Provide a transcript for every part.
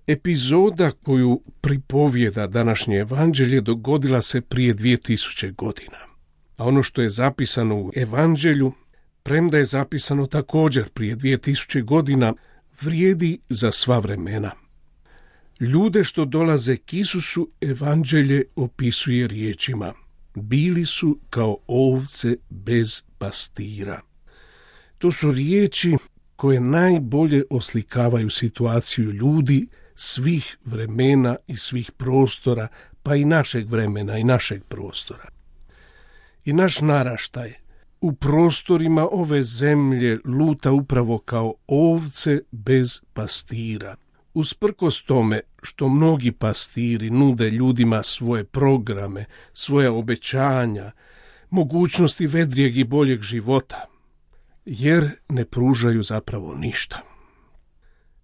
Epizoda koju pripovijeda današnje evanđelje dogodila se prije 2000 godina. A ono što je zapisano u evanđelju, premda je zapisano također prije 2000 godina, vrijedi za sva vremena. Ljude što dolaze k Isusu evanđelje opisuje riječima: bili su kao ovce bez pastira. To su riječi koje najbolje oslikavaju situaciju ljudi svih vremena i svih prostora, pa i našeg vremena i našeg prostora. I naš naraštaj u prostorima ove zemlje luta upravo kao ovce bez pastira. Usprkos tome što mnogi pastiri nude ljudima svoje programe, svoja obećanja, mogućnosti vedrijeg i boljeg života, jer ne pružaju zapravo ništa.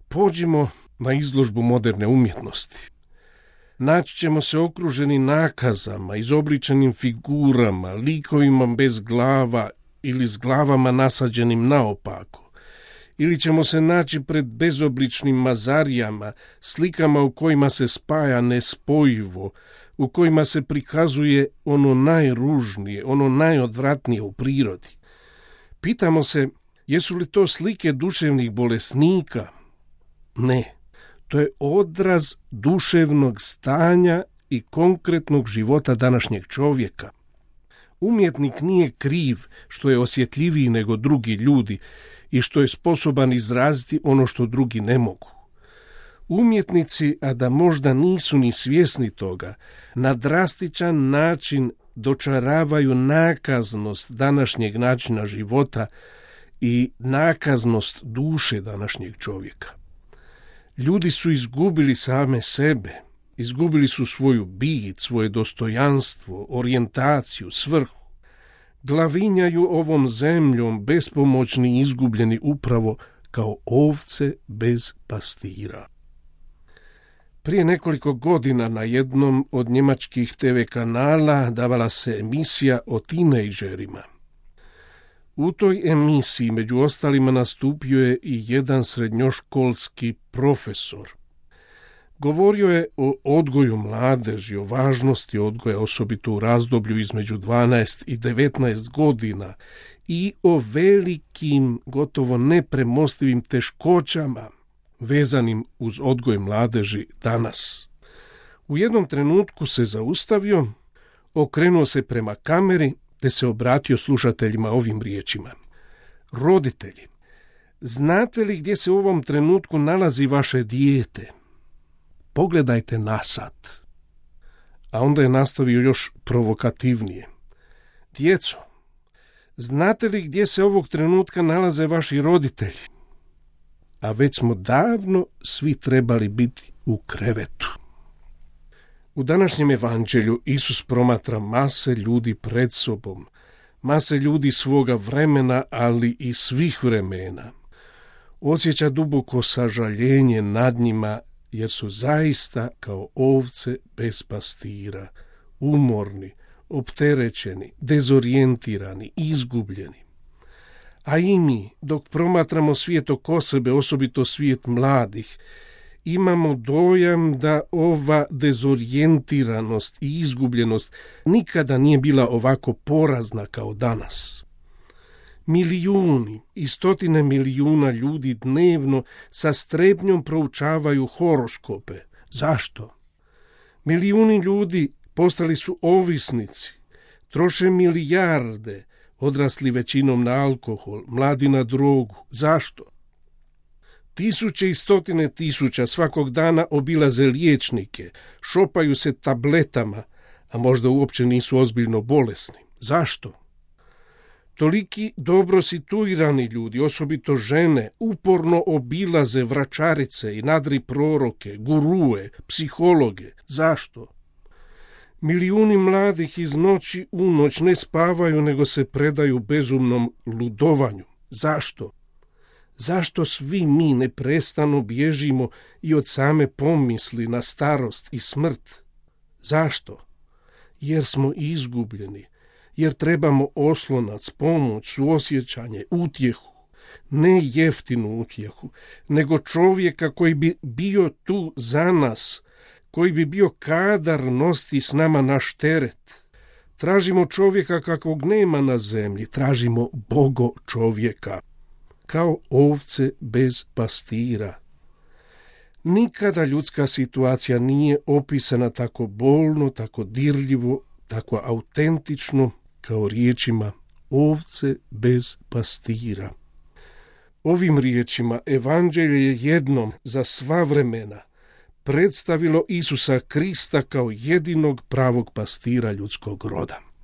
Pođimo na izložbu moderne umjetnosti. Naći ćemo se okruženi nakazama, izobličenim figurama, likovima bez glava ili s glavama nasađenim naopako. Ili ćemo se naći pred bezobličnim mazarijama, slikama u kojima se spaja nespojivo, u kojima se prikazuje ono najružnije, ono najodvratnije u prirodi. Pitamo se, jesu li to slike duševnih bolesnika? Ne, to je odraz duševnog stanja i konkretnog života današnjeg čovjeka. Umjetnik nije kriv što je osjetljiviji nego drugi ljudi i što je sposoban izraziti ono što drugi ne mogu. Umjetnici, a da možda nisu ni svjesni toga, na drastičan način dočaravaju nakaznost današnjeg načina života i nakaznost duše današnjeg čovjeka. Ljudi su izgubili same sebe, izgubili su svoju bit, svoje dostojanstvo, orijentaciju, svrhu. Glavinjaju ovom zemljom bespomoćni i izgubljeni upravo kao ovce bez pastira. Prije nekoliko godina na jednom od njemačkih TV kanala davala se emisija o tinejdžerima. U toj emisiji među ostalima nastupio je i jedan srednjoškolski profesor. Govorio je o odgoju mladeži, o važnosti odgoja, osobito u razdoblju između 12 i 19 godina i o velikim, gotovo nepremostivim teškoćama vezanim uz odgoj mladeži danas. U jednom trenutku se zaustavio, okrenuo se prema kameri te se obratio slušateljima ovim riječima: roditelji, znate li gdje se u ovom trenutku nalazi vaše dijete? Pogledajte na sat. A onda je nastavio još provokativnije: djeco, znate li gdje se ovog trenutka nalaze vaši roditelji? A već smo davno svi trebali biti u krevetu. U današnjem evanđelju Isus promatra mase ljudi pred sobom, mase ljudi svoga vremena, ali i svih vremena. Osjeća duboko sažaljenje nad njima, jer su zaista kao ovce bez pastira, umorni, opterećeni, dezorijentirani, izgubljeni. A i mi, dok promatramo svijet oko sebe, osobito svijet mladih, imamo dojam da ova dezorijentiranost i izgubljenost nikada nije bila ovako porazna kao danas. Milijuni i stotine milijuna ljudi dnevno sa strepnjom proučavaju horoskope. Zašto? Milijuni ljudi postali su ovisnici, troše milijarde, odrasli većinom na alkohol, mladi na drogu. Zašto? Tisuće i stotine tisuća svakog dana obilaze liječnike, šopaju se tabletama, a možda uopće nisu ozbiljno bolesni. Zašto? Toliki dobro situirani ljudi, osobito žene, uporno obilaze vračarice i nadri proroke, gurue, psihologe. Zašto? Milijuni mladih iz noći u noć ne spavaju, nego se predaju bezumnom ludovanju. Zašto? Zašto svi mi neprestano bježimo i od same pomisli na starost i smrt? Zašto? Jer smo izgubljeni, jer trebamo oslonac, pomoć, suosjećanje, utjehu, ne jeftinu utjehu, nego čovjeka koji bi bio tu za nas, koji bi bio kadar nositi s nama naš teret. Tražimo čovjeka kakvog nema na zemlji, tražimo Bogo čovjeka, kao ovce bez pastira. Nikada ljudska situacija nije opisana tako bolno, tako dirljivo, tako autentično kao riječima ovce bez pastira. Ovim riječima evanđelje je jednom za sva vremena predstavilo Isusa Krista kao jedinog pravog pastira ljudskog roda.